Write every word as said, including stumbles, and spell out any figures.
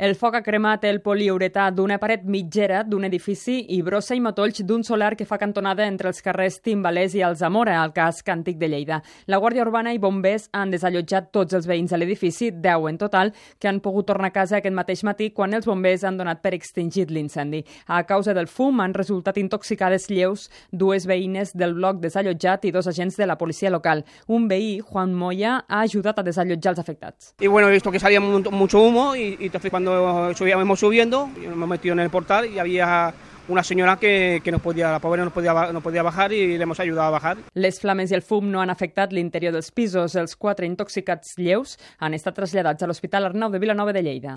El foc ha cremat el poliuretà d'una paret mitgera d'un edifici i brossa i matolls d'un solar que fa cantonada entre els carrers Timbalers i Alzamora, al casc antic de Lleida. La Guàrdia Urbana i bombers han desallotjat tots els veïns de l'edifici, deu en total, que han pogut tornar a casa aquest mateix matí quan els bombers han donat per extingit l'incendi. A causa del fum han resultat intoxicades lleus dues veïnes del bloc desallotjat i dos agents de la policia local. Un veí, Juan Moya, ha ajudat a desallotjar els afectats. Y bueno, he visto que salía mucho humo y, y entonces cuando subíamos subiendo, nos hemos metido en el portal y había una senyora que, que no podia, la pobra no podia, no podia bajar i l'hem ajudat a bajar. Les flames i el fum no han afectat l'interior dels pisos. Els quatre intoxicats lleus han estat traslladats a l'Hospital Arnau de Vilanova de Lleida.